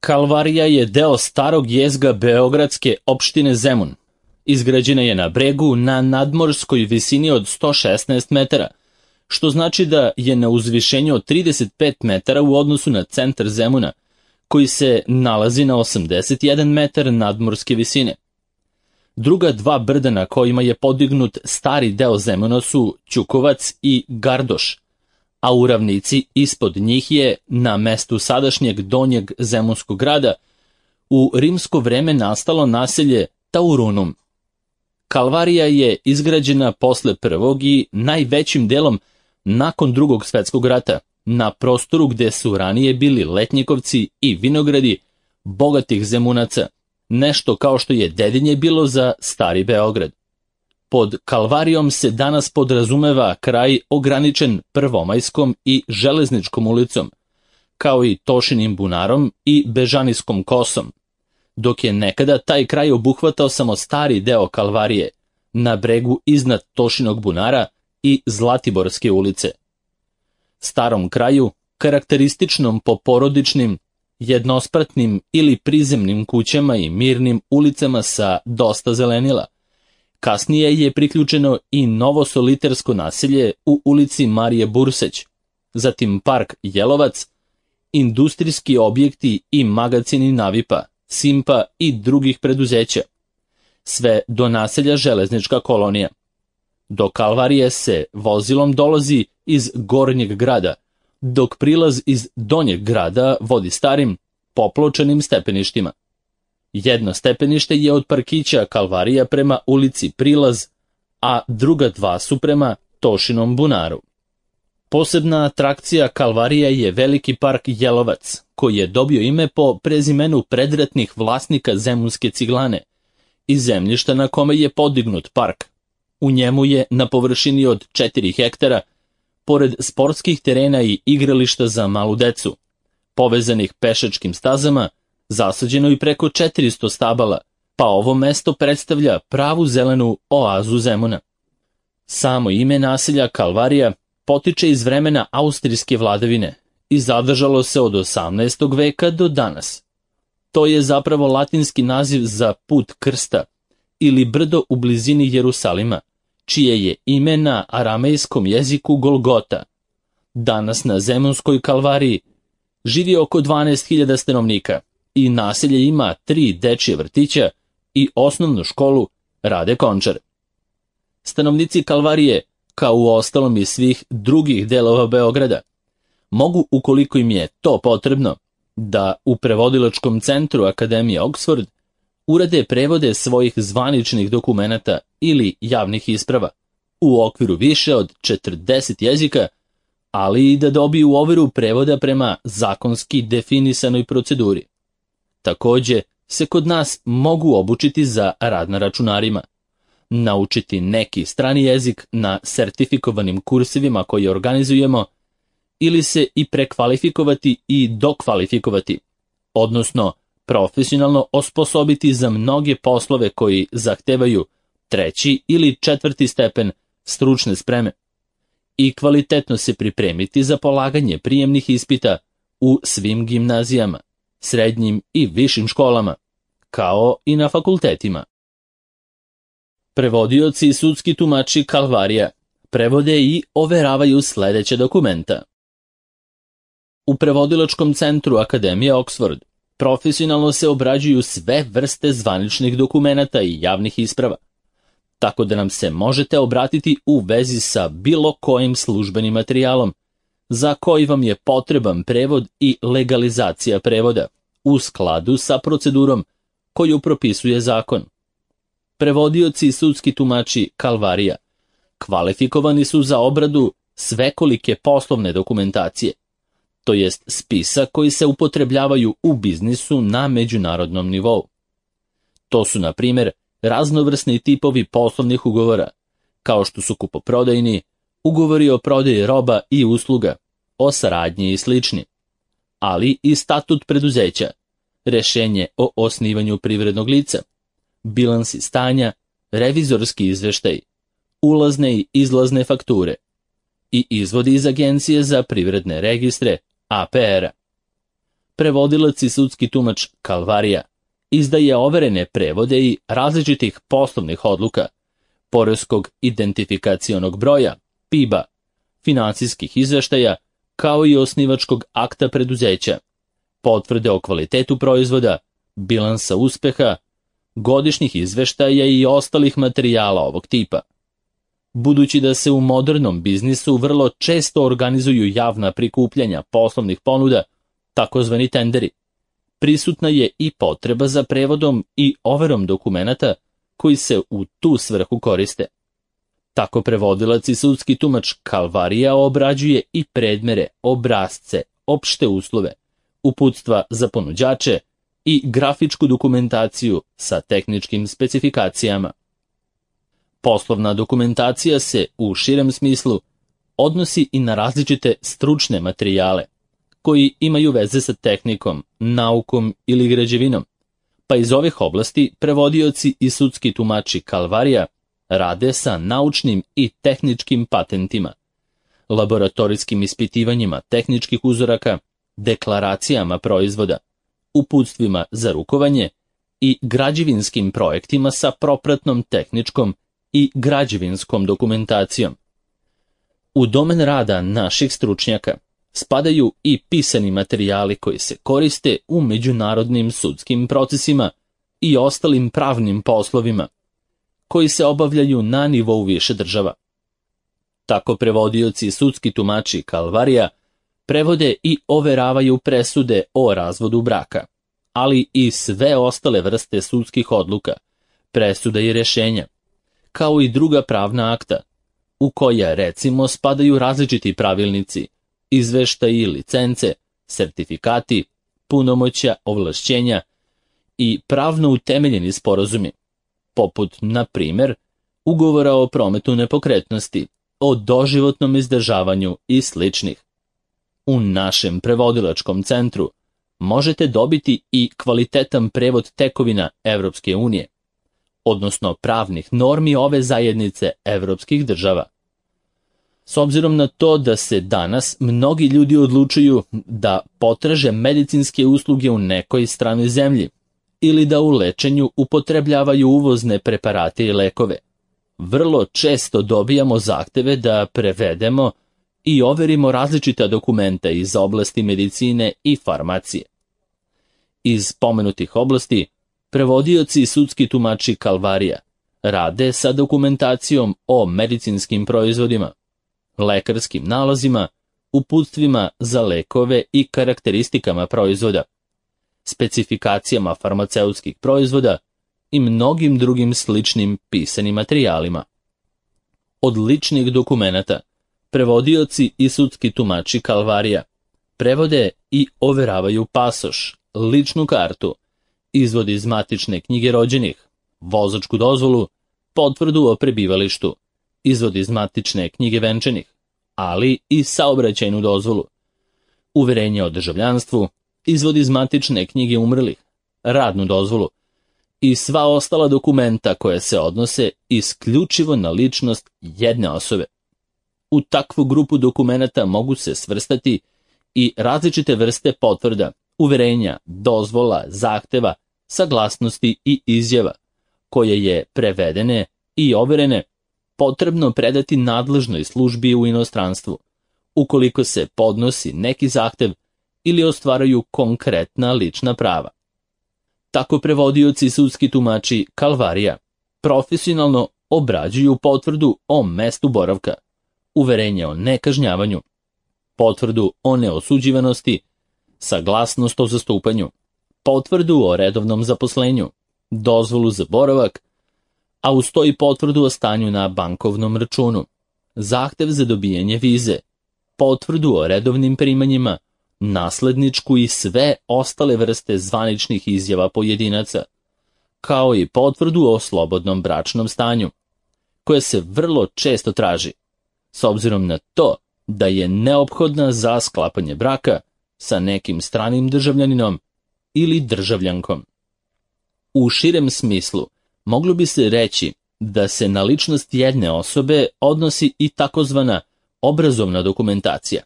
Kalvarija je deo starog jezga beogradske opštine Zemun. Izgrađena je na bregu na nadmorskoj visini od 116 metara, što znači da je na uzvišenju od 35 metara u odnosu na centar Zemuna, koji se nalazi na 81 metar nadmorske visine. Druga dva brda na kojima je podignut stari deo Zemuna su Ćukovac i Gardoš, a u ravnici ispod njih je, na mestu sadašnjeg donjeg zemunskog grada, u rimsko vreme nastalo naselje Taurunum. Kalvarija je izgrađena posle prvog i najvećim delom nakon Drugog svetskog rata, na prostoru gde su ranije bili letnjikovci i vinogradi bogatih Zemunaca, nešto kao što je Dedinje bilo za Stari Beograd. Pod Kalvarijom se danas podrazumeva kraj ograničen Prvomajskom i Železničkom ulicom, kao i Tošinim bunarom i Bežanijskom kosom, dok je nekada taj kraj obuhvatao samo stari deo Kalvarije, na bregu iznad Tošinog bunara i Zlatiborske ulice. Starom kraju, karakterističnom po porodičnim, jednospratnim ili prizemnim kućama i mirnim ulicama sa dosta zelenila, kasnije je priključeno i novo solitersko naselje u ulici Marije Burseć, zatim park Jelovac, industrijski objekti i magacini Navipa, Simpa i drugih preduzeća, sve do naselja Železnička kolonija. Do Kalvarije se vozilom dolazi iz Gornjeg grada, dok prilaz iz Donjeg grada vodi starim, popločanim stepeništima. Jedno stepenište je od parkića Kalvarija prema ulici Prilaz, a druga dva su prema Tošinom bunaru. Posebna atrakcija Kalvarija je veliki park Jelovac, koji je dobio ime po prezimenu predratnih vlasnika Zemunske ciglane i zemljišta na kome je podignut park. U njemu je na površini od 4 hektara, pored sportskih terena i igrališta za malu decu, povezanih pešačkim stazama, zasađeno i preko 400 stabala, pa ovo mesto predstavlja pravu zelenu oazu Zemuna. Samo ime naselja Kalvarija potiče iz vremena austrijske vladavine i zadržalo se od 18. veka do danas. To je zapravo latinski naziv za put krsta ili brdo u blizini Jerusalima, čije je ime na aramejskom jeziku Golgota. Danas na Zemunskoj Kalvariji živi oko 12.000 stanovnika i naselje ima 3 dečje vrtića i osnovnu školu Rade Končar. Stanovnici Kalvarije, kao u ostalom i svih drugih delova Beograda, mogu, ukoliko im je to potrebno, da u prevodilačkom centru Akademije Oxford urade prevode svojih zvaničnih dokumenata ili javnih isprava u okviru više od 40 jezika, ali i da dobiju overu prevoda prema zakonski definisanoj proceduri. Takođe se kod nas mogu obučiti za rad na računarima, naučiti neki strani jezik na sertifikovanim kursevima koje organizujemo ili se i prekvalifikovati i dokvalifikovati, odnosno profesionalno osposobiti za mnoge poslove koji zahtevaju 3. ili 4. stepen stručne spreme i kvalitetno se pripremiti za polaganje prijemnih ispita u svim gimnazijama, srednjim i višim školama, kao i na fakultetima. Prevodioci i sudski tumači Kalvarija prevode i overavaju sledeće dokumenta. U prevodilačkom centru Akademije Oxford profesionalno se obrađuju sve vrste zvaničnih dokumenata i javnih isprava, tako da nam se možete obratiti u vezi sa bilo kojim službenim materijalom, za koji vam je potreban prevod i legalizacija prevoda, u skladu sa procedurom koju propisuje zakon. Prevodioci i sudski tumači Kalvarija kvalifikovani su za obradu svekolike poslovne dokumentacije, to jest spisa koji se upotrebljavaju u biznisu na međunarodnom nivou. To su, na primjer, raznovrsni tipovi poslovnih ugovora, kao što su kupoprodajni, ugovori o prodaji roba i usluga, o saradnji i slični, ali i statut preduzeća, rešenje o osnivanju privrednog lica, bilansi stanja, revizorski izveštaj, ulazne i izlazne fakture i izvodi iz Agencije za privredne registre APR-a. prevodilac i sudski tumač Kalvarija izdaje overene prevode i različitih poslovnih odluka, poreskog identifikacionog broja, PIB-a, finansijskih izveštaja, kao i osnivačkog akta preduzeća, potvrde o kvalitetu proizvoda, bilansa uspeha, godišnjih izveštaja i ostalih materijala ovog tipa. Budući da se u modernom biznisu vrlo često organizuju javna prikupljanja poslovnih ponuda, takozvani tenderi, prisutna je i potreba za prevodom i overom dokumenata koji se u tu svrhu koriste. Tako prevodilac i sudski tumač Kalvarija obrađuje i predmere, obrasce, opšte uslove, uputstva za ponuđače i grafičku dokumentaciju sa tehničkim specifikacijama. Poslovna dokumentacija se, u širem smislu, odnosi i na različite stručne materijale, koji imaju veze sa tehnikom, naukom ili građevinom, pa iz ovih oblasti prevodioci i sudski tumači Kalvarija rade sa naučnim i tehničkim patentima, laboratorijskim ispitivanjima tehničkih uzoraka, deklaracijama proizvoda, uputstvima za rukovanje i građevinskim projektima sa propratnom tehničkom i građevinskom dokumentacijom. U domen rada naših stručnjaka spadaju i pisani materijali koji se koriste u međunarodnim sudskim procesima i ostalim pravnim poslovima, koji se obavljaju na nivou više država. Tako prevodioci i sudski tumači Kalvarija prevode i overavaju presude o razvodu braka, ali i sve ostale vrste sudskih odluka, presuda i rješenja, kao i druga pravna akta, u koja recimo spadaju različiti pravilnici, izveštaji, licence, sertifikati, punomoćja, ovlašćenja i pravno utemeljeni sporazumi, poput, na primjer, ugovora o prometu nepokretnosti, o doživotnom izdržavanju i sličnih. U našem prevodilačkom centru možete dobiti i kvalitetan prevod tekovina Evropske unije, odnosno pravnih normi ove zajednice evropskih država. S obzirom na to da se danas mnogi ljudi odlučuju da potraže medicinske usluge u nekoj stranoj zemlji ili da u lečenju upotrebljavaju uvozne preparate i lekove, vrlo često dobijamo zahteve da prevedemo i overimo različita dokumenta iz oblasti medicine i farmacije. Iz pomenutih oblasti prevodioci i sudski tumači Kalvarija rade sa dokumentacijom o medicinskim proizvodima, lekarskim nalazima, uputstvima za lekove i karakteristikama proizvoda, specifikacijama farmaceutskih proizvoda i mnogim drugim sličnim pisanim materijalima. Od ličnih dokumenata prevodioci i sudski tumači Kalvarija prevode i overavaju pasoš, ličnu kartu, izvod iz matične knjige rođenih, vozačku dozvolu, potvrdu o prebivalištu, izvod iz matične knjige venčanih, ali i saobraćajnu dozvolu, uverenje o državljanstvu, izvod iz matične knjige umrlih, radnu dozvolu i sva ostala dokumenta koja se odnose isključivo na ličnost jedne osobe. U takvu grupu dokumenata mogu se svrstati i različite vrste potvrda, uverenja, dozvola, zahteva, saglasnosti i izjava, koje je prevedene i overene potrebno predati nadležnoj službi u inostranstvu, ukoliko se podnosi neki zahtev ili ostvaraju konkretna lična prava. Tako prevodioci i sudski tumači Kalvarija profesionalno obrađuju potvrdu o mestu boravka, uverenje o nekažnjavanju, potvrdu o neosuđivanosti, saglasnost o zastupanju, potvrdu o redovnom zaposlenju, dozvolu za boravak, a uz to i potvrdu o stanju na bankovnom računu, zahtev za dobijanje vize, potvrdu o redovnim primanjima, nasledničku i sve ostale vrste zvaničnih izjava pojedinaca, kao i potvrdu o slobodnom bračnom stanju, koja se vrlo često traži, s obzirom na to da je neophodna za sklapanje braka sa nekim stranim državljaninom ili državljankom. U širem smislu moglo bi se reći da se na ličnost jedne osobe odnosi i takozvana obrazovna dokumentacija,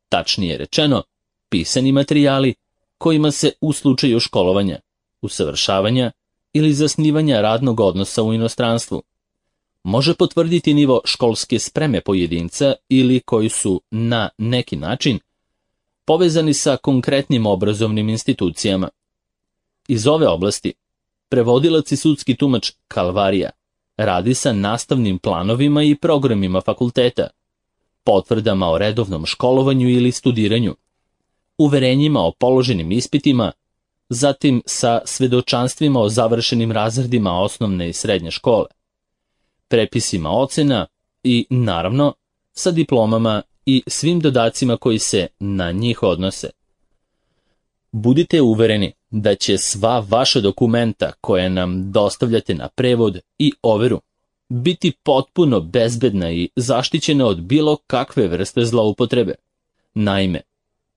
tačnije rečeno, pisani materijali kojima se u slučaju školovanja, usavršavanja ili zasnivanja radnog odnosa u inostranstvu može potvrditi nivo školske spreme pojedinca ili koji su na neki način povezani sa konkretnim obrazovnim institucijama. Iz ove oblasti prevodilac i sudski tumač Kalvarija radi sa nastavnim planovima i programima fakulteta, potvrdama o redovnom školovanju ili studiranju, uverenjima o položenim ispitima, zatim sa svedočanstvima o završenim razredima osnovne i srednje škole, prepisima ocena i, naravno, sa diplomama i svim dodacima koji se na njih odnose. Budite uvereni da će sva vaša dokumenta koje nam dostavljate na prevod i overu biti potpuno bezbedna i zaštićena od bilo kakve vrste zloupotrebe. Naime,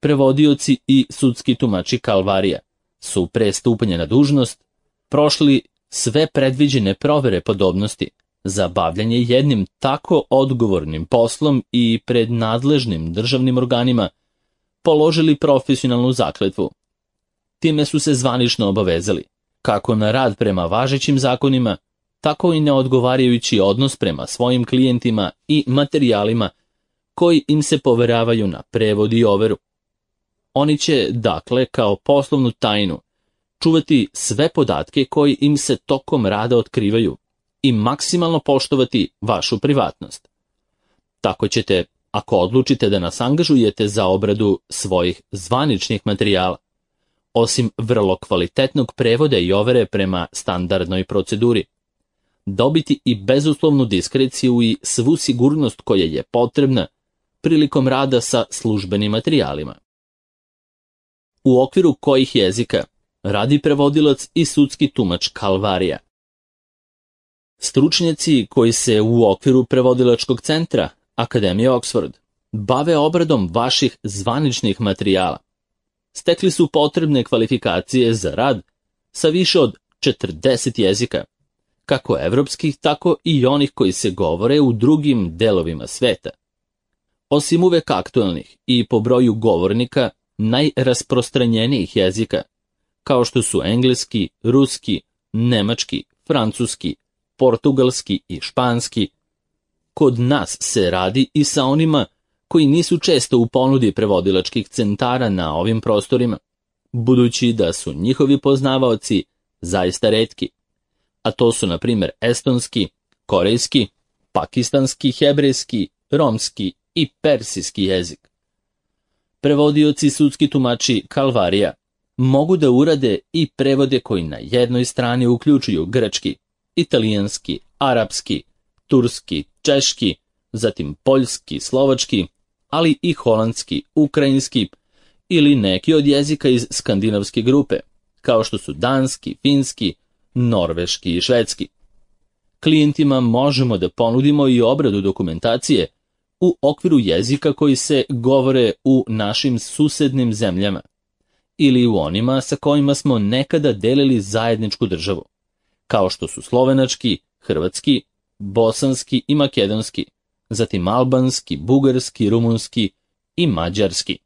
prevodioci i sudski tumači Kalvarija su pre stupanja na dužnost prošli sve predviđene provere podobnosti za bavljanje jednim tako odgovornim poslom i pred nadležnim državnim organima položili profesionalnu zakletvu. Time su se zvanično obavezali, kako na rad prema važećim zakonima, tako i na odgovarajući odnos prema svojim klijentima i materijalima koji im se poveravaju na prevod i overu. Oni će, dakle, kao poslovnu tajnu, čuvati sve podatke koji im se tokom rada otkrivaju i maksimalno poštovati vašu privatnost. Tako ćete, ako odlučite da nas angažujete za obradu svojih zvaničnih materijala, osim vrlo kvalitetnog prevoda i overe prema standardnoj proceduri, dobiti i bezuslovnu diskreciju i svu sigurnost koja je potrebna prilikom rada sa službenim materijalima. U okviru kojih jezika radi prevodilac i sudski tumač Kalvarija? Stručnjaci koji se u okviru prevodilačkog centra Akademije Oxford bave obradom vaših zvaničnih materijala stekli su potrebne kvalifikacije za rad sa više od 40 jezika, kako evropskih, tako i onih koji se govore u drugim delovima sveta. Osim uvek aktualnih i po broju govornika najrasprostranjenijih jezika, kao što su engleski, ruski, nemački, francuski, portugalski i španski, kod nas se radi i sa onima koji nisu često u ponudi prevodilačkih centara na ovim prostorima, budući da su njihovi poznavaoci zaista retki, a to su, na primjer, estonski, korejski, pakistanski, hebrejski, romski i persijski jezik. Prevodioci sudski tumači Kalvarija mogu da urade i prevode koji na jednoj strani uključuju grčki, italijanski, arapski, turski, češki, zatim poljski, slovački, ali i holandski, ukrajinski ili neki od jezika iz skandinavske grupe, kao što su danski, finski, norveški i švedski. Klijentima možemo da ponudimo i obradu dokumentacije u okviru jezika koji se govore u našim susednim zemljama ili u onima sa kojima smo nekada delili zajedničku državu, kao što su slovenački, hrvatski, bosanski i makedonski, zatim albanski, bugarski, rumunski i mađarski.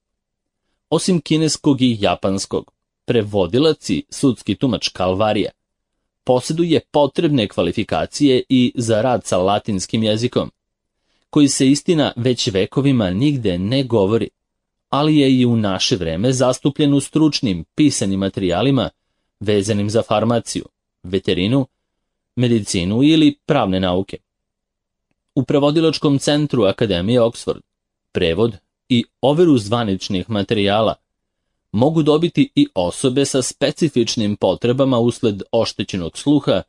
Osim kineskog i japanskog, prevodilac i sudski tumač Kalvarija posjeduje potrebne kvalifikacije i za rad sa latinskim jezikom, koji se, istina, već vekovima nigde ne govori, ali je i u naše vreme zastupljen u stručnim pisanim materijalima vezanim za farmaciju, veterinu, medicinu ili pravne nauke. U prevodilačkom centru Akademije Oxford prevod i overu zvaničnih materijala mogu dobiti i osobe sa specifičnim potrebama usled oštećenog sluha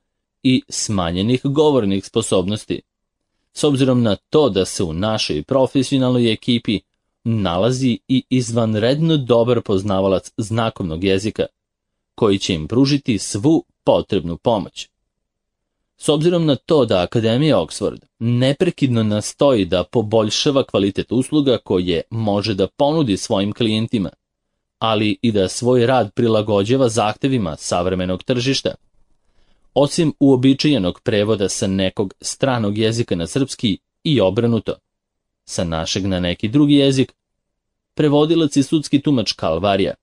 i smanjenih govornih sposobnosti, s obzirom na to da se u našoj profesionalnoj ekipi nalazi i izvanredno dobar poznavalac znakovnog jezika, koji će im pružiti svu potrebnu pomoć. S obzirom na to da Akademija Oxford neprekidno nastoji da poboljšava kvalitet usluga koje može da ponudi svojim klijentima, ali i da svoj rad prilagođava zahtevima savremenog tržišta, osim uobičajenog prevoda sa nekog stranog jezika na srpski i obrnuto, sa našeg na neki drugi jezik, prevodilac i sudski tumač Kalvarija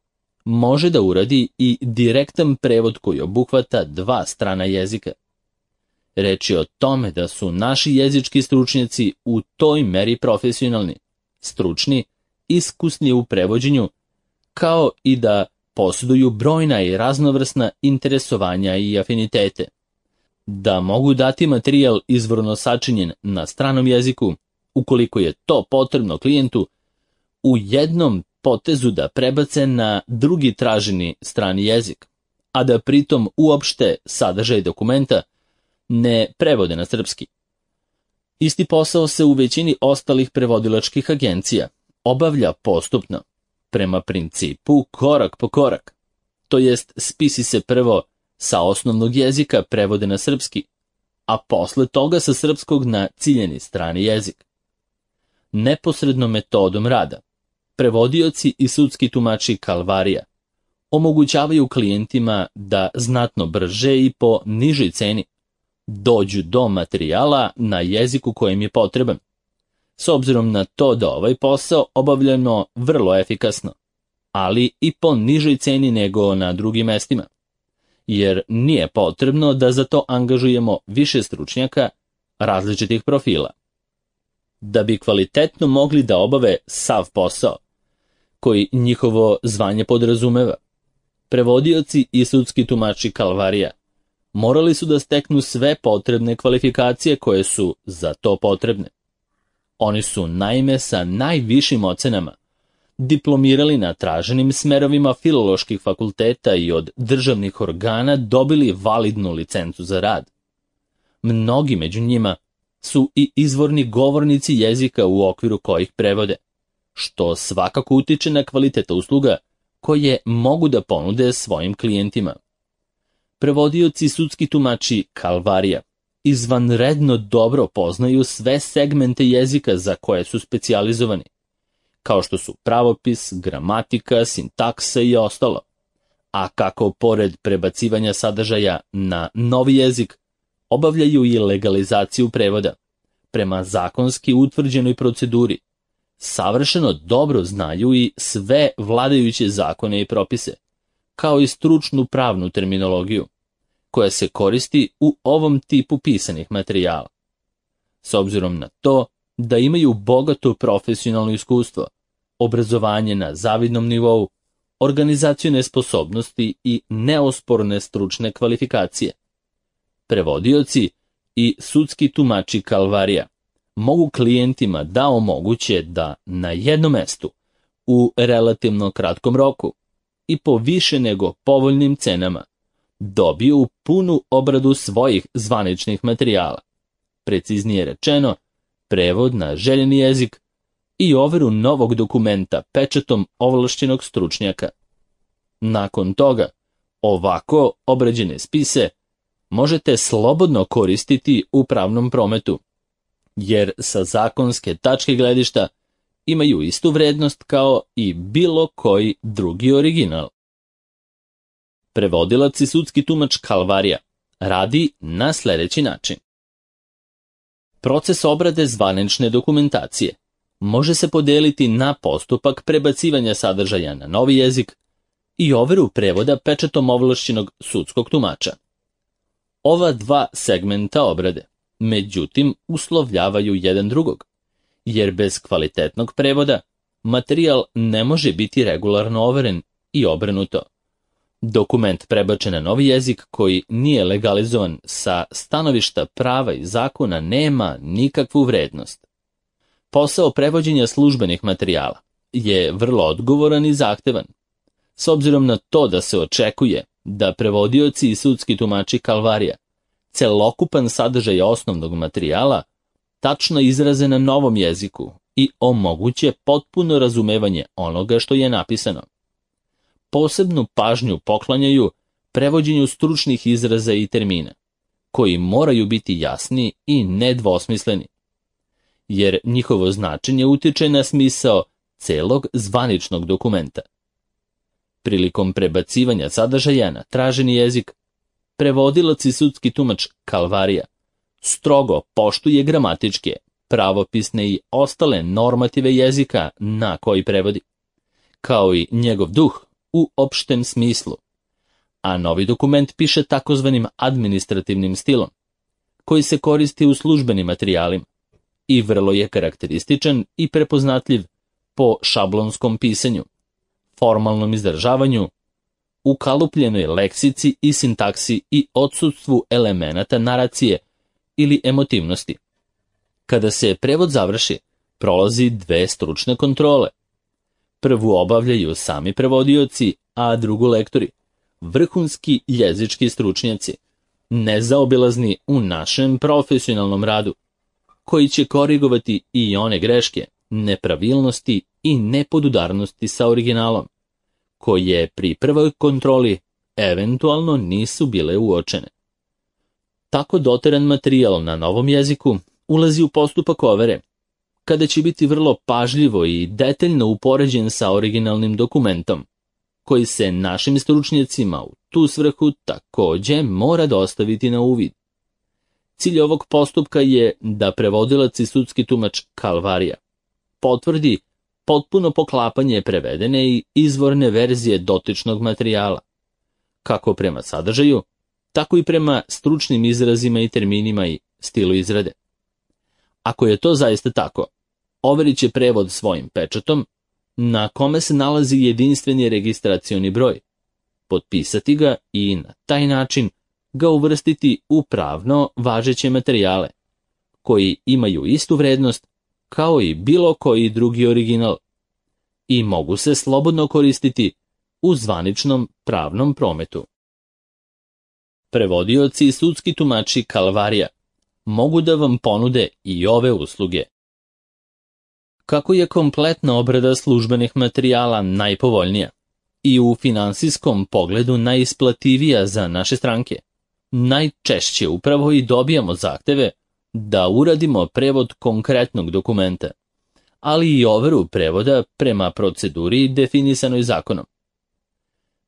može da uradi i direktan prevod koji obuhvata dva strana jezika. Reč je o tome da su naši jezički stručnjaci u toj meri profesionalni, stručni, iskusni u prevođenju, kao i da posjeduju brojna i raznovrsna interesovanja i afinitete. Da mogu dati materijal izvorno sačinjen na stranom jeziku, ukoliko je to potrebno klijentu, u jednom potezu da prebace na drugi traženi strani jezik, a da pritom uopšte sadržaj dokumenta ne prevode na srpski. Isti posao se u većini ostalih prevodilačkih agencija obavlja postupno, prema principu korak po korak, to jest spisi se prvo sa osnovnog jezika prevode na srpski, a posle toga sa srpskog na ciljeni strani jezik. Neposrednom metodom rada, prevodioci i sudski tumači Kalvarija omogućavaju klijentima da znatno brže i po nižoj ceni dođu do materijala na jeziku kojem je potreban, s obzirom na to da ovaj posao obavljeno vrlo efikasno, ali i po nižoj ceni nego na drugim mestima, jer nije potrebno da za to angažujemo više stručnjaka različitih profila. Da bi kvalitetno mogli da obave sav posao, koji njihovo zvanje podrazumeva, prevodioci i sudski tumači Kalvarija morali su da steknu sve potrebne kvalifikacije koje su za to potrebne. Oni su naime sa najvišim ocenama diplomirali na traženim smerovima filoloških fakulteta i od državnih organa dobili validnu licencu za rad. Mnogi među njima su i izvorni govornici jezika u okviru kojih prevode, što svakako utiče na kvalitet usluga koje mogu da ponude svojim klijentima. Prevodioci i sudski tumači Kalvarija izvanredno dobro poznaju sve segmente jezika za koje su specijalizovani, kao što su pravopis, gramatika, sintaksa i ostalo, a kako pored prebacivanja sadržaja na novi jezik, obavljaju i legalizaciju prevoda, prema zakonski utvrđenoj proceduri, savršeno dobro znaju i sve vladajuće zakone i propise, kao i stručnu pravnu terminologiju, koja se koristi u ovom tipu pisanih materijala. S obzirom na to da imaju bogato profesionalno iskustvo, obrazovanje na zavidnom nivou, organizacione sposobnosti i neosporne stručne kvalifikacije, prevodioci i sudski tumači Kalvarija mogu klijentima da omoguće da na jednom mestu, u relativno kratkom roku i po više nego povoljnim cenama, dobiju punu obradu svojih zvaničnih materijala, preciznije rečeno, prevod na željeni jezik i overu novog dokumenta pečatom ovlašćenog stručnjaka. Nakon toga, ovako obrađene spise možete slobodno koristiti u pravnom prometu, jer sa zakonske tačke gledišta imaju istu vrednost kao i bilo koji drugi original. Prevodilac i sudski tumač Kalvarija radi na sljedeći način. Proces obrade zvanične dokumentacije može se podeliti na postupak prebacivanja sadržaja na novi jezik i overu prevoda pečatom ovlašćenog sudskog tumača. Ova dva segmenta obrade, međutim, uslovljavaju jedan drugog, jer bez kvalitetnog prevoda materijal ne može biti regularno overen i obrnuto. Dokument prebačen na novi jezik koji nije legalizovan sa stanovišta prava i zakona nema nikakvu vrednost. Posao prevođenja službenih materijala je vrlo odgovoran i zahtevan, s obzirom na to da se očekuje da prevodioci i sudski tumači Kalvarija celokupan sadržaj osnovnog materijala tačno izraze na novom jeziku i omoguće potpuno razumevanje onoga što je napisano. Posebnu pažnju poklanjaju prevođenju stručnih izraza i termina, koji moraju biti jasni i nedvosmisleni, jer njihovo značenje utiče na smisao celog zvaničnog dokumenta. Prilikom prebacivanja sadržaja na traženi jezik, prevodilac i sudski tumač Kalvarija strogo poštuje gramatičke, pravopisne i ostale normative jezika na koji prevodi, kao i njegov duh u opštem smislu, a novi dokument piše takozvanim administrativnim stilom, koji se koristi u službenim materijalima i vrlo je karakterističan i prepoznatljiv po šablonskom pisanju, formalnom izdržavanju, ukalupljenoj leksici i sintaksi i odsustvu elemenata naracije ili emotivnosti. Kada se prevod završi, prolazi 2 stručne kontrole. Prvu obavljaju sami prevodioci, a drugu lektori, vrhunski jezički stručnjaci, nezaobilazni u našem profesionalnom radu, koji će korigovati i one greške, nepravilnosti i nepodudarnosti sa originalom, koje pri prvoj kontroli eventualno nisu bile uočene. Tako doteran materijal na novom jeziku ulazi u postupak overe, kada će biti vrlo pažljivo i detaljno upoređen sa originalnim dokumentom, koji se našim stručnjacima u tu svrhu takođe mora dostaviti na uvid. Cilj ovog postupka je da prevodilac i sudski tumač Kalvarija potvrdi potpuno poklapanje prevedene i izvorne verzije dotičnog materijala, kako prema sadržaju, tako i prema stručnim izrazima i terminima i stilu izrade. Ako je to zaista tako, overit će prevod svojim pečatom, na kome se nalazi jedinstveni registracioni broj, potpisati ga i na taj način ga uvrstiti u pravno važeće materijale, koji imaju istu vrednost kao i bilo koji drugi original i mogu se slobodno koristiti u zvaničnom pravnom prometu. Prevodioci i sudski tumači Kalvarija mogu da vam ponude i ove usluge. Kako je kompletna obrada službenih materijala najpovoljnija i u finansijskom pogledu najisplativija za naše stranke, najčešće upravo i dobijamo zahteve da uradimo prevod konkretnog dokumenta, ali i overu prevoda prema proceduri definisanoj zakonom.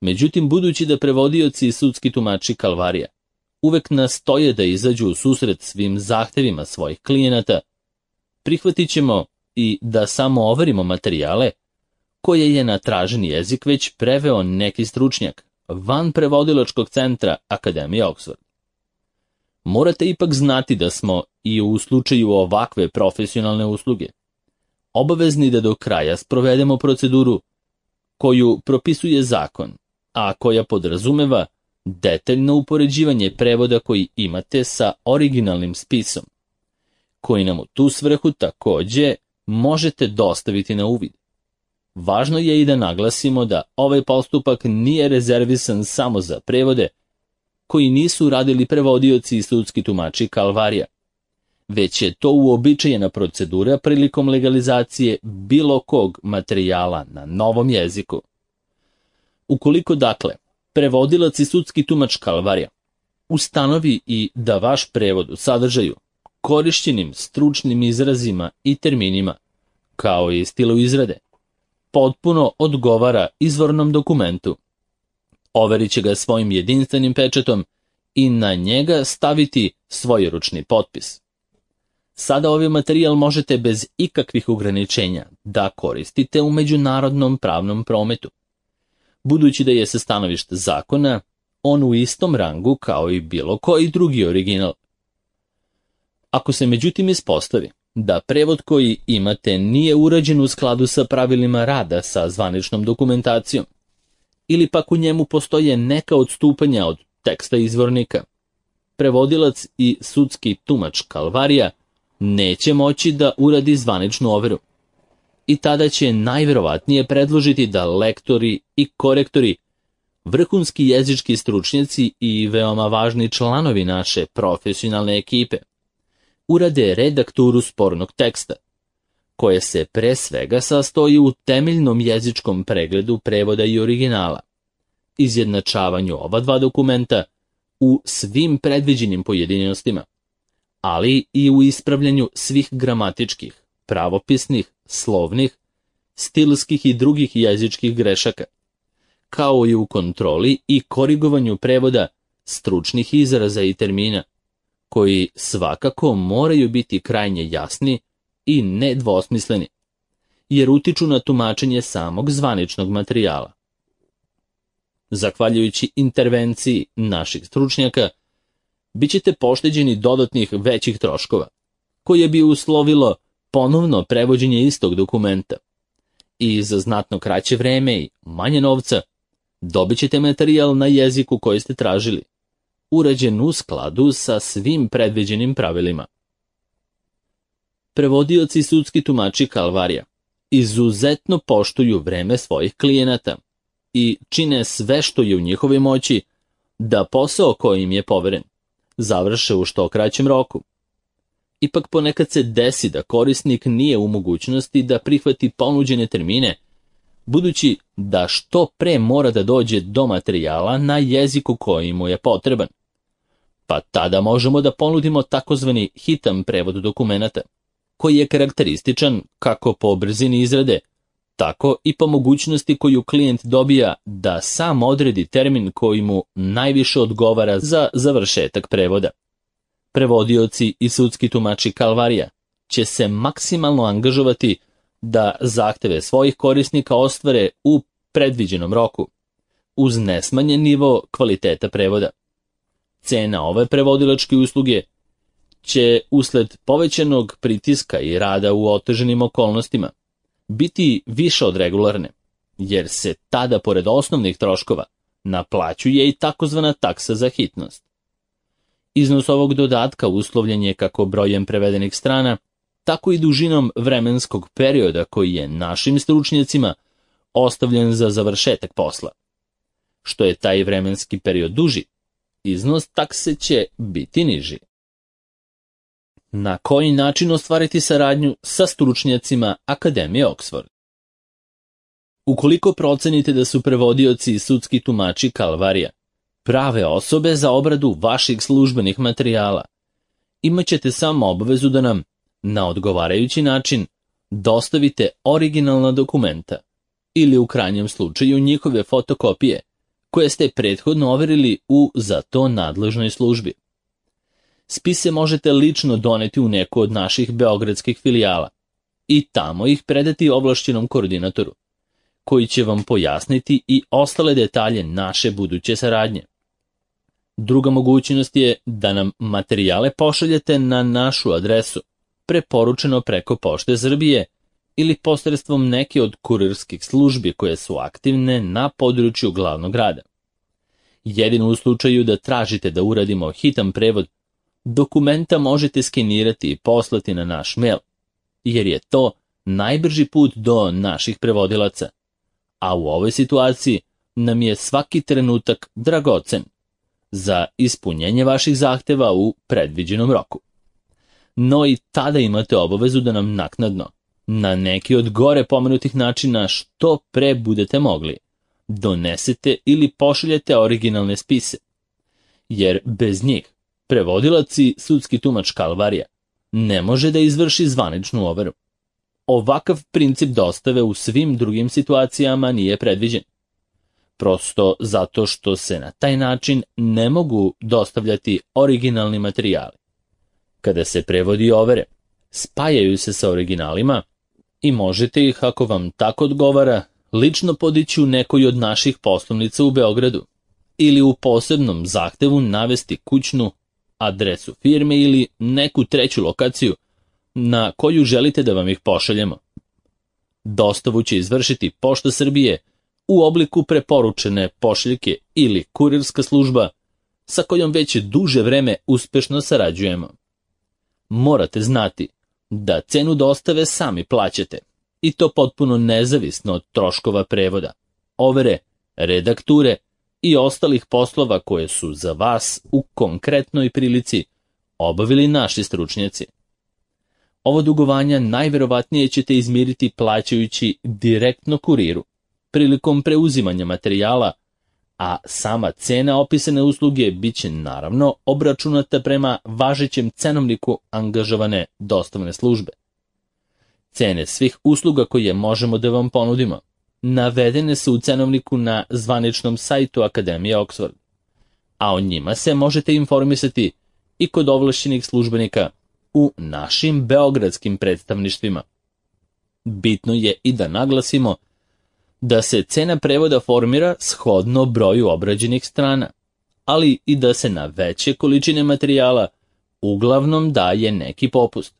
Međutim, budući da prevodioci i sudski tumači Kalvarija uvek nastoje da izađu u susret svim zahtevima svojih klijenata, prihvatit ćemo i da samo overimo materijale koje je na traženi jezik već preveo neki stručnjak van prevodilačkog centra Akademije Oxford. Morate ipak znati da smo i u slučaju ovakve profesionalne usluge obavezni da do kraja sprovedemo proceduru koju propisuje zakon, a koja podrazumeva detaljno upoređivanje prevoda koji imate sa originalnim spisom, koji nam u tu svrhu takođe možete dostaviti na uvid. Važno je i da naglasimo da ovaj postupak nije rezervisan samo za prevode koji nisu radili prevodioci i sudski tumači Kalvarija, već je to uobičajena procedura prilikom legalizacije bilo kog materijala na novom jeziku. Ukoliko dakle, prevodilac i sudski tumač Kalvarija ustanovi i da vaš prevod u sadržaju, korišćenim stručnim izrazima i terminima, kao i stilu izrade, potpuno odgovara izvornom dokumentu, overit će ga svojim jedinstvenim pečatom i na njega staviti svojeručni potpis. Sada ovaj materijal možete bez ikakvih ograničenja da koristite u međunarodnom pravnom prometu, budući da je sa stanovišta zakona on u istom rangu kao i bilo koji drugi original. Ako se međutim ispostavi da prevod koji imate nije urađen u skladu sa pravilima rada sa zvaničnom dokumentacijom, ili pak u njemu postoje neka odstupanja od teksta izvornika, prevodilac i sudski tumač Kalvarija neće moći da uradi zvaničnu overu. I tada će najverovatnije predložiti da lektori i korektori, vrhunski jezički stručnjaci i veoma važni članovi naše profesionalne ekipe, urade redakturu spornog teksta, koje se pre svega sastoji u temeljnom jezičkom pregledu prevoda i originala, izjednačavanju ova dva dokumenta u svim predviđenim pojedinostima, ali i u ispravljanju svih gramatičkih, pravopisnih, slovnih, stilskih i drugih jezičkih grešaka, kao i u kontroli i korigovanju prevoda stručnih izraza i termina, koji svakako moraju biti krajnje jasni i nedvosmisleni, jer utiču na tumačenje samog zvaničnog materijala. zahvaljujući intervenciji naših stručnjaka, bit ćete pošteđeni dodatnih većih troškova, koje bi uslovilo ponovno prevođenje istog dokumenta. I za znatno kraće vreme i manje novca dobit ćete materijal na jeziku koji ste tražili, urađen u skladu sa svim predviđenim pravilima. Prevodioci i sudski tumači Kalvarija izuzetno poštuju vreme svojih klijenata i čine sve što je u njihovoj moći da posao koji im je poveren završe u što kraćem roku. Ipak ponekad se desi da korisnik nije u mogućnosti da prihvati ponuđene termine, budući da što pre mora da dođe do materijala na jeziku koji mu je potreban. Pa tada možemo da ponudimo takozvani hitan prevod dokumenata, koji je karakterističan kako po brzini izrade, tako i po mogućnosti koju klijent dobija da sam odredi termin koji mu najviše odgovara za završetak prevoda. Prevodioci i sudski tumači Kalvarija će se maksimalno angažovati da zahteve svojih korisnika ostvare u predviđenom roku, uz nesmanjen nivo kvaliteta prevoda. Cena ove prevodilačke usluge će usled povećanog pritiska i rada u otežanim okolnostima biti više od regularne, jer se tada pored osnovnih troškova naplaćuje i takozvana taksa za hitnost. Iznos ovog dodatka uslovljen je kako brojem prevedenih strana, tako i dužinom vremenskog perioda koji je našim stručnjacima ostavljen za završetak posla. Što je taj vremenski period duži, iznos takse će biti niži. Na koji način ostvariti saradnju sa stručnjacima Akademije Oxford? Ukoliko procenite da su prevodioci i sudski tumači Kalvarija prave osobe za obradu vaših službenih materijala, imat ćete samo obavezu da nam, na odgovarajući način, dostavite originalna dokumenta ili u krajnjem slučaju njihove fotokopije, koje ste prethodno overili u za to nadležnoj službi. Spise možete lično doneti u neku od naših beogradskih filijala i tamo ih predati ovlašćenom koordinatoru, koji će vam pojasniti i ostale detalje naše buduće saradnje. Druga mogućnost je da nam materijale pošaljete na našu adresu, preporučeno preko Pošte Srbije ili posredstvom neke od kurirskih službi koje su aktivne na području glavnog grada. Jedino u slučaju da tražite da uradimo hitan prevod, dokumenta možete skenirati i poslati na naš mail, jer je to najbrži put do naših prevodilaca, a u ovoj situaciji nam je svaki trenutak dragocen za ispunjenje vaših zahteva u predviđenom roku. No i tada imate obavezu da nam naknadno, na neki od gore pomenutih načina što pre budete mogli, donesete ili pošaljete originalne spise, jer bez njih prevodilac i sudski tumač Kalvarija ne može da izvrši zvaničnu overu. Ovakav princip dostave u svim drugim situacijama nije predviđen, prosto zato što se na taj način ne mogu dostavljati originalni materijali. Kada se prevodi i overe, spajaju se sa originalima i možete ih, ako vam tako odgovara, lično podići u nekoj od naših poslovnica u Beogradu ili u posebnom zahtevu navesti kućnu adresu firme ili neku treću lokaciju na koju želite da vam ih pošaljemo. Dostavu će izvršiti Pošta Srbije u obliku preporučene pošiljke ili kurirska služba sa kojom već duže vreme uspešno sarađujemo. Morate znati da cenu dostave sami plaćate, i to potpuno nezavisno od troškova prevoda, overe, redakture i ostalih poslova koje su za vas u konkretnoj prilici obavili naši stručnjaci. Ovo dugovanja najverovatnije ćete izmiriti plaćajući direktno kuriru prilikom preuzimanja materijala, a sama cena opisane usluge bit će naravno obračunata prema važećem cenovniku angažovane dostavne službe. Cene svih usluga koje možemo da vam ponudimo navedene su u cenovniku na zvaničnom sajtu Akademije Oxford, a o njima se možete informisati i kod ovlašćenih službenika u našim beogradskim predstavništvima. Bitno je i da naglasimo da se cena prevoda formira shodno broju obrađenih strana, ali i da se na veće količine materijala uglavnom daje neki popust.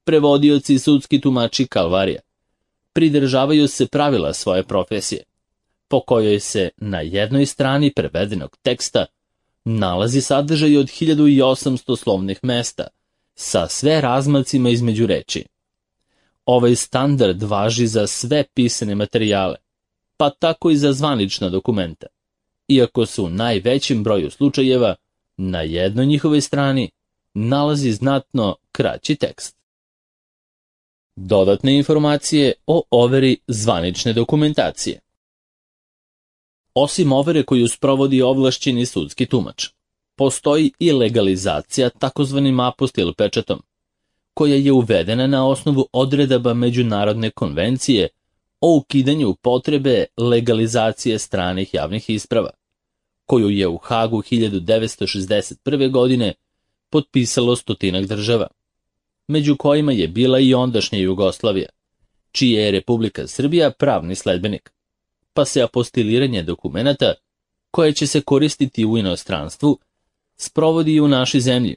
Prevodioci i sudski tumači Kalvarija pridržavaju se pravila svoje profesije, po kojoj se na jednoj strani prevedenog teksta nalazi sadržaj od 1800 slovnih mesta, sa sve razmacima između reči. Ovaj standard važi za sve pisane materijale, pa tako i za zvanična dokumenta, iako se u najvećem broju slučajeva na jednoj njihovoj strani nalazi znatno kraći tekst. Dodatne informacije o overi zvanične dokumentacije. Osim overe koju sprovodi ovlašćeni sudski tumač, postoji i legalizacija takozvanim apostil pečatom, koja je uvedena na osnovu odredaba Međunarodne konvencije o ukidanju potrebe legalizacije stranih javnih isprava, koju je u Hagu 1961. godine potpisalo 100 država, među kojima je bila i ondašnja Jugoslavija, čija je Republika Srbija pravni sledbenik, pa se apostiliranje dokumenata, koje će se koristiti u inostranstvu, sprovodi i u našoj zemlji,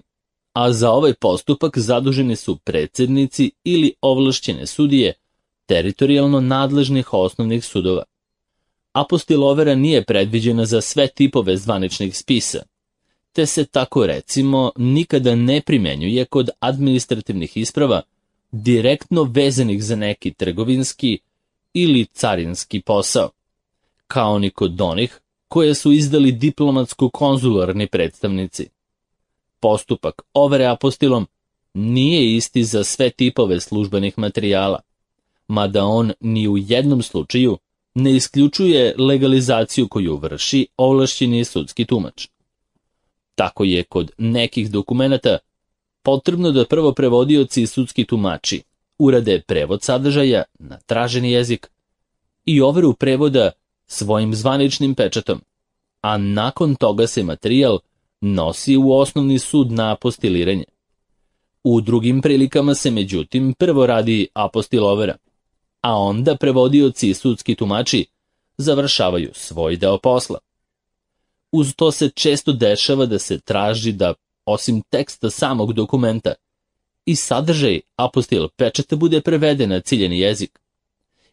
a za ovaj postupak zaduženi su predsednici ili ovlašćene sudije teritorijalno nadležnih osnovnih sudova. Apostilovera nije predviđena za sve tipove zvaničnih spisa, te se tako recimo nikada ne primenjuje kod administrativnih isprava direktno vezanih za neki trgovinski ili carinski posao, kao ni kod onih koje su izdali diplomatsko-konzularni predstavnici. Postupak overe apostilom nije isti za sve tipove službenih materijala, mada on ni u jednom slučaju ne isključuje legalizaciju koju vrši ovlašćeni sudski tumač. Tako je kod nekih dokumenata potrebno da prvo prevodioci i sudski tumači urade prevod sadržaja na traženi jezik i overu prevoda svojim zvaničnim pečatom, a nakon toga se materijal nosi u osnovni sud na apostiliranje. U drugim prilikama se međutim prvo radi apostilovera, a onda prevodioci i sudski tumači završavaju svoj deo posla. Uz to se često dešava da se traži da, osim teksta samog dokumenta, i sadržaj apostil pečata bude preveden na ciljeni jezik,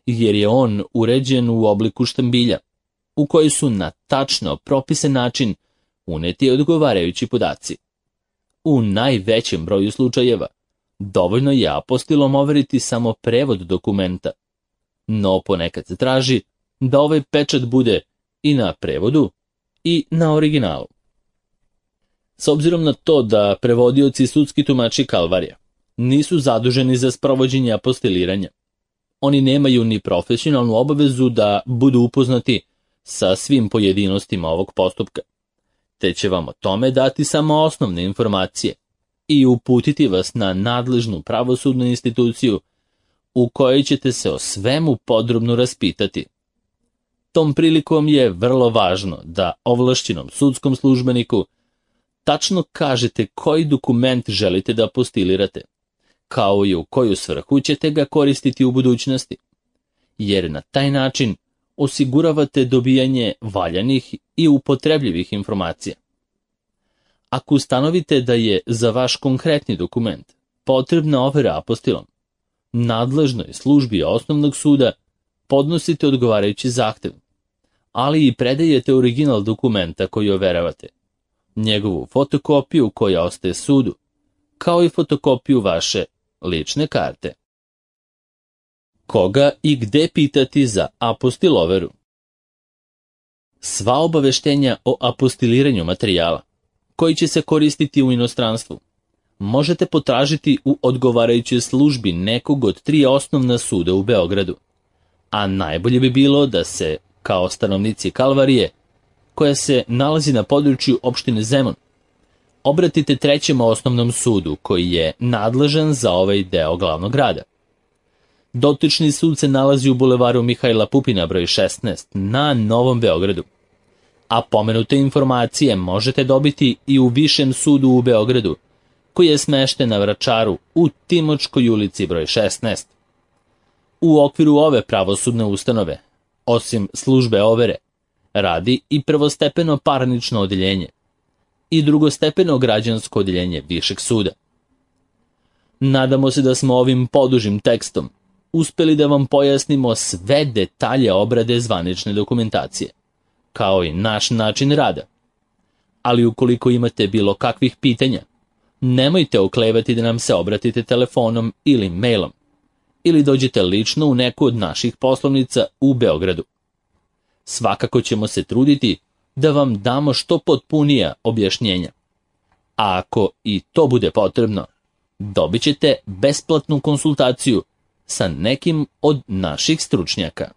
jer je on uređen u obliku štambilja, u koji su na tačno propisan način uneti odgovarajući podaci. U najvećem broju slučajeva dovoljno je apostilom overiti samo prevod dokumenta, no ponekad se traži da ovaj pečat bude i na prevodu i na originalu. S obzirom na to da prevodioci i sudski tumači Kalvarija nisu zaduženi za sprovođenje apostiliranja, oni nemaju ni profesionalnu obavezu da budu upoznati sa svim pojedinostima ovog postupka, te će vam o tome dati samo osnovne informacije i uputiti vas na nadležnu pravosudnu instituciju u kojoj ćete se o svemu podrobno raspitati. Tom prilikom je vrlo važno da ovlašćenom sudskom službeniku tačno kažete koji dokument želite da apostilirate, kao i u koju svrhu ćete ga koristiti u budućnosti, jer na taj način osiguravate dobijanje valjanih i upotrebljivih informacija. Ako ustanovite da je za vaš konkretni dokument potrebna overa apostilom, nadležnoj službi osnovnog suda podnosite odgovarajući zahtev, ali i predajete original dokumenta koji overavate, njegovu fotokopiju koja ostaje sudu, kao i fotokopiju vaše lične karte. Koga i gde pitati za apostiloveru? Sva obaveštenja o apostiliranju materijala, koji će se koristiti u inostranstvu, možete potražiti u odgovarajućoj službi nekog od 3 osnovna suda u Beogradu, a najbolje bi bilo da se, kao stanovnici Kalvarije, koja se nalazi na području opštine Zemun, obratite 3. osnovnom sudu koji je nadležan za ovaj deo glavnog grada. Dotični sud se nalazi u bulevaru Mihajla Pupina broj 16 na Novom Beogradu, a pomenute informacije možete dobiti i u Višem sudu u Beogradu, koji je smešten na Vračaru u Timočkoj ulici broj 16. U okviru ove pravosudne ustanove Osim službe overe, radi i prvostepeno parnično odeljenje i drugostepeno građansko odeljenje Višeg suda. Nadamo se da smo ovim podužim tekstom uspeli da vam pojasnimo sve detalje obrade zvanične dokumentacije, kao i naš način rada. Ali ukoliko imate bilo kakvih pitanja, nemojte oklevati da nam se obratite telefonom ili mailom, ili dođete lično u neku od naših poslovnica u Beogradu. Svakako ćemo se truditi da vam damo što potpunija objašnjenja. A ako i to bude potrebno, dobit ćete besplatnu konsultaciju sa nekim od naših stručnjaka.